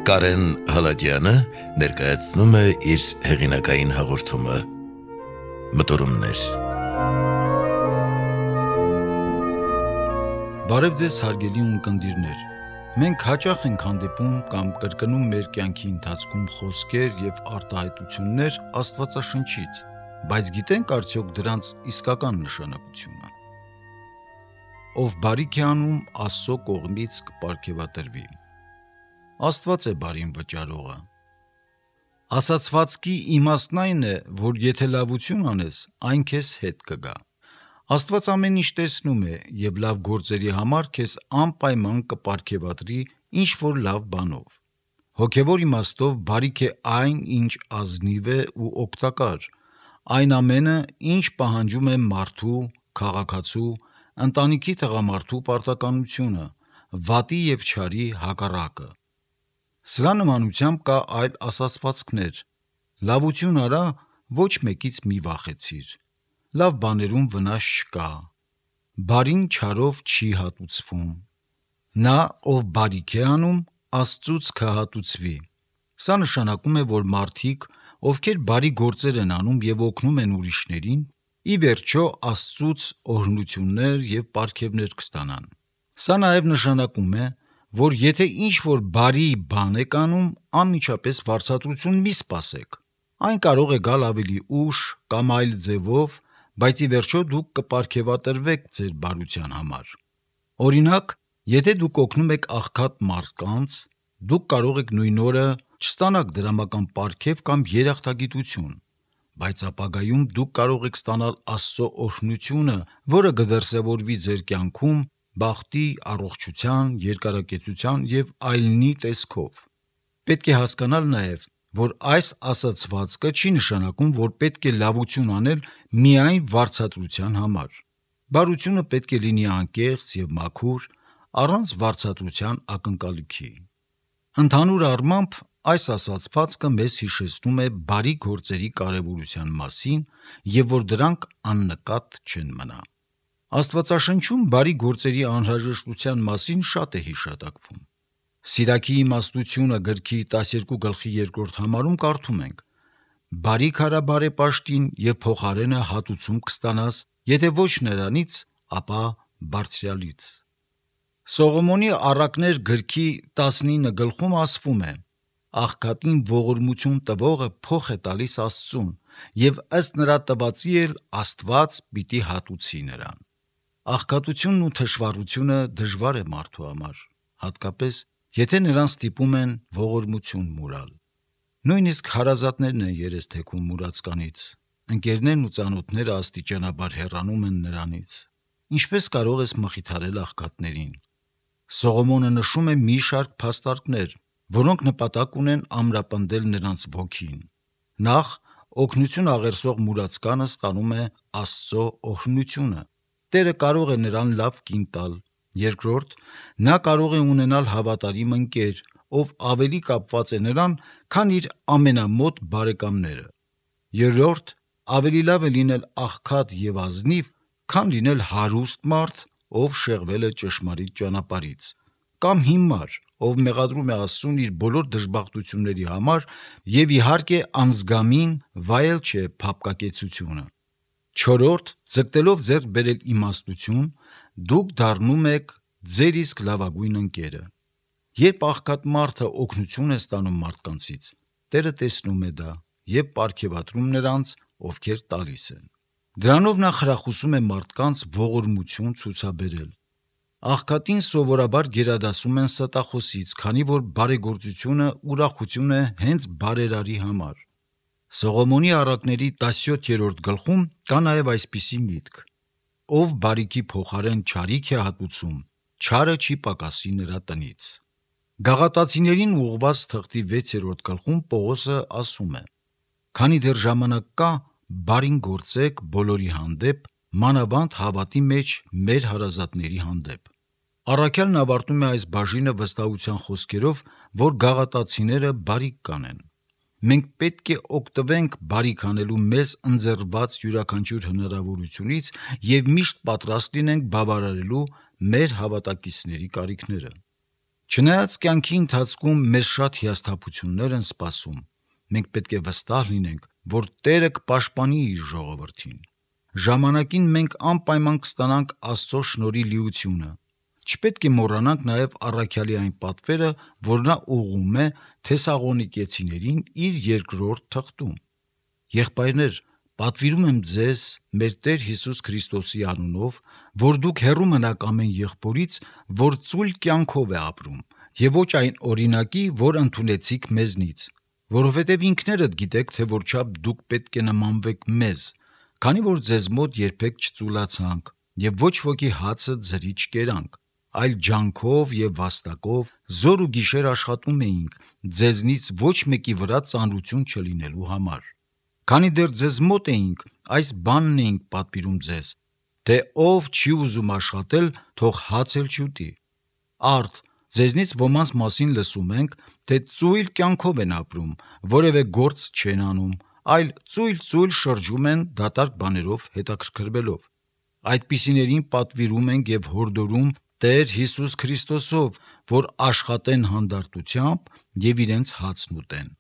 Կարեն Հալաջյանը ներկայացնում է իր հեղինակային հաղորդումը Մտորումներ։ Բարև ձեզ հարգելի ունկնդիրներ։ Մենք հաճախ ենք հանդիպում կամ կրկնում մեր կյանքի ընթացքում խոսքեր եւ արտահայտություններ Աստվածաշնչից, բայց գիտենք արդյոք դրանց իսկական նշանակությունը։ Ով բարիք է անում, Աստծո կողմից կպարգևատրվի։ Աստված է բարին վճարողը։ Ասացվածքի իմաստն այն է, որ եթե լավություն անես, այն քեզ հետ կգա։ Աստված ամեն ինչ տեսնում է եւ լավ գործերի համար քեզ անպայման կպարգևատրի ինչ-որ լավ բանով։ Հոգևոր իմաստով բարիք է այն, ինչ ազնիվ է ու օգտակար, այն ամենը, ինչ պահանջում է մարդու, քաղաքացու, ընտանիքի տղամարդու պարտականությունը, վատի եւ չարի հակառակը։ Սրա նմանությամբ կա այլ ասացվածքներ. լավություն արա, ոչ մեկից մի վախեցիր, լավ բաներում վնաս չկա, բարին չարով չի հատուցվում, նա, ով բարիք է անում, Աստծուց կհատուցվի։ Սա նշանակում է, որ մարդիկ, ովքեր բարի գործեր են անում եւ օգնում են ուրիշներին, ի վերջո Աստծուց օրհնություններ եւ պարգևներ կստանան։ Սա նաեւ նշանակում է, որ եթե ինչ-որ բարի բան եք անում, անմիջապես վարձատրություն մի սպասեք։ Այն կարող է գալ ավելի ուշ կամ այլ ձևով, բայց ի վերջո դուք կպարգևատրվեք ձեր բարության համար։ Օրինակ, եթե դուք օգնում եք աղքատ մարդկանց, դուք կարող եք նույն օրը չստանաք դրամական պարգև կամ երախտագիտություն, բայց ապագայում դուք կարող եք ստանալ Աստծո օրհնությունը, որը կդրսևորվի ձեր կյանքում բախտի, առողջության, երկարակեցության եւ այլնի տեսքով։ Պետք է հասկանալ նաեւ, որ այս ասացվածքը չի նշանակում, որ պետք է լավություն անել միայն վարձատրության համար։ Բարությունը պետք է լինի անկեղծ եւ մաքուր, առանց վարձատրության ակնկալիքի։ Ընդհանուր առմամբ, այս ասացվածքը մեզ հիշեցնում է բարի գործերի կարևորության մասին եւ որ դրանք աննկատ չեն մնա։ Աստվածաշնչում բարի գործերի անհրաժեշտության մասին շատ է հիշատակվում։ Սիրակի իմաստությունը գրքի 12:2 համարում կարդում ենք. «Բարիք արա բարեպաշտին եւ փոխարենը հատուցում կստանաս, եթե ոչ նրանից, ապա Բարձրյալից»։ Սողոմոնի առակներ գրքի 19 ասվում է. «Աղքատին ողորմություն տվողը փոխ է տալիս Աստծուն, եւ ըստ նրա տվածի էլ Աստված պիտի հատուցի նրան»։ Աղքատությունն ու թշվառությունը դժվար է մարդու համար, հատկապես եթե նրան ստիպում են ողորմություն մուրալ։ Նույնիսկ հարազատներն են երես թեքում մուրացկանից, ընկերներն ու ծանոթները աստիճանաբար հեռանում են նրանից։ Ինչպես կարող ես մխիթարել աղքատներին։ Սողոմոնը նշում է մի շարք փաստարկներ, որոնք նպատակ ունեն ամրապնդել նրանց ոգին։ Նախ, օգնություն աղերսող մուրացկանը ստանում է Աստծո օրհնությունը։ Տերը կարող է նրան լավ կին տալ։ Երկրորդ, նա կարող է ունենալ հավատարիմ ընկեր, ով ավելի կապված է նրան, քան իր ամենամոտ բարեկամները։ Երրորդ, ավելի լավ է լինել աղքատ եւ ազնիվ, քան լինել հարուստ մարդ, ով շեղվել է ճշմարիտ ճանապարհից, կամ հիմար, ով մեղադրում է Աստծուն իր բոլոր դժբախտությունների համար եւ իհարկե անզգամին վայել չէ փափկակեցությունը։ Չորրորդ, ձգտելով ձեռք բերել իմաստություն, դուք դառնում եք ձեր իսկ լավագույն ընկերը։ Երբ աղքատ մարդը օգնություն է ստանում մարդկանցից, Տերը տեսնում է դա եւ պարգևատրում նրանց, ովքեր տալիս են։ Դրանով նա խրախուսում է մարդկանց ողորմություն ցուցաբերել։ Աղքատին սովորաբար գերադասում են ստախոսից, քանի որ բարեգործությունը ուրախություն է հենց բարերարի համար։ Սողոմոնի առակների 17-րդ գլխում կա նաև այսպիսի միտք. «Ով բարիքի փոխարեն չարիք է հատուցում, չարը չի պակասի նրա տնից»։ Գաղատացիներին ուղղված թղթի 6-րդ գլխում Պողոսը ասում է. «Քանի դեռ ժամանակ կա, բարին գործեք բոլորի հանդեպ, մանավանդ հավատի մեջ մեր հարազատների հանդեպ»։ Առաքյալն ավարտում է այս բաժինը վստահության խոսքերով, որ գաղատացիները բարիք կանեն։ Մենք պետք է օգտվենք բարիք անելու մեզ ընձեռված յուրաքանչյուր հնարավորությունից եւ միշտ պատրաստ լինենք բավարարելու մեր հավատակիցների կարիքները։ Չնայած կյանքի ընթացքում մեզ շատ հիասթափություններ են սպասում, մենք պետք է վստահ լինենք, որ Տերը կպաշտպանի իր ժողովրդին։ Ժամանակին մենք անպայման կստանանք Աստծո շնորհի լիությունը։ Չպետք է մոռանանք նաև առաքյալի այն պատվերը, որ նա ուղղում է Թեսաղոնիկեցիներին իր երկրորդ թղթում. Եղբայրներ, պատվիրում եմ ձեզ մեր Տեր Հիսուս Քրիստոսի անունով, որ դուք հեռու մնաք ամեն եղբորից, որ ծույլ կյանքով է ապրում, եւ ոչ այն օրինակի, որ ընդունեցիք մեզնից, որովհետև ինքներդ գիտեք, թե որչափ դուք պետք է նմանվեք մեզ, քանի որ ձեզ մոտ երբեք չծուլացանք եւ ոչ ոքի հացը ձրի չկերանք, այլ ջանքով եւ վաստակով զոր ու գիշեր աշխատում էինք ձեզնից ոչ մեկի վրա ծանրություն չլինելու համար։ Քանի դեռ ձեզ մոտ էինք, այս բանն էինք պատվիրում ձեզ, թե ով չի ուզում աշխատել, թող հաց էլ չուտի։ Արդ ձեզնից ոմանց մասին լսում ենք, թե ծույլ կյանքով են ապրում, որևէ գործ չեն անում, այլ ծույլ շրջում են դատարկ բաներով հետաքրքրվելով։ Այդպիսիներին պատվիրում ենք եւ հորդորում Տեր Հիսուս Քրիստոսով, որ աշխատեն հանդարտությամբ եւ իրենց հացն ուտեն։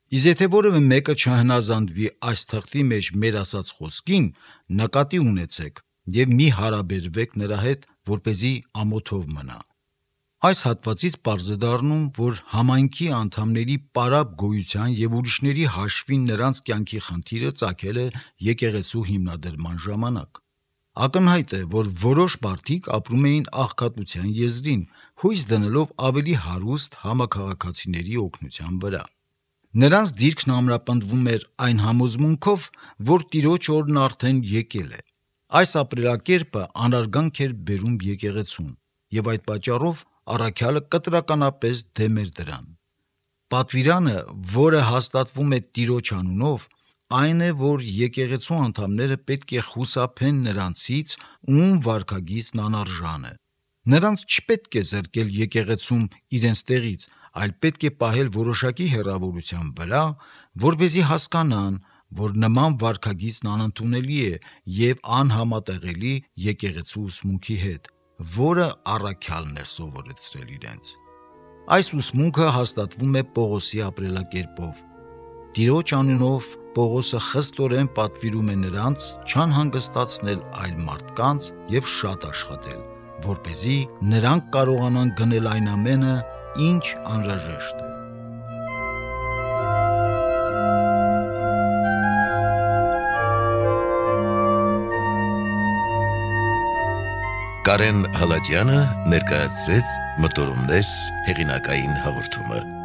Իսկ եթե որևէ մեկը չհնազանդվի այս թղթի մեջ մեր ասած խոսքին, նկատի ունեցեք եւ մի հարաբերվեք նրա հետ, որպեսզի ամոթով մնա։ Այս հատվածից պարզ է դառնում, որ համայնքի անդամների պարապ գոյության եւ ուրիշների հաշվին նրանց կյանքի խնդիրը ծագել է եկեղեցու հիմնադրման ժամանակ։ Ակնհայտ է, որ որոշ մարդիկ ապրում էին աղքատության եզրին, հույս դնելով ավելի հարուստ համաքաղաքացիների օգնության վրա։ Նրանց դիրքն ամրապնդվում էր այն համոզմունքով, որ Տիրոջ օրն արդեն եկել է։ Այս ապրելակերպը անարգանք էր բերում եկեղեցուն, եւ այդ պատճառով առաքյալը կտրականապես դեմ էր դրան։ Պատվիրանը, որը հաստատվում է Տիրոջ անունով, այն է, որ եկեղեցու անդամները պետք է խուսափեն նրանցից, ում վարքագիծն անարժան է։ Նրանց չպետք է զրկել եկեղեցում իրենց տեղից, այլ պետք է պահել որոշակի հեռավորության վրա, որպեսզի հասկանան, որ նման վարքագիծն անընդունելի է եւ անհամատեղելի եկեղեցու ուսմունքի հետ, որը առաքյալն է սովորեցրել իրենց։ Այս ուսմունքը հաստատվում է Պողոսի ապրելակերպով։ Տիրոջ անունով Պողոսը խստորեն պատվիրում է նրանց չանհանգստացնել այլ մարդկանց եւ շատ աշխատել, որպեսզի նրանք կարողանան գնել այն ամենը, ինչ անհրաժեշտ է։ Կարեն Հալաջյանը ներկայացրեց Մտորումներ հեղինակային հաղորդումը։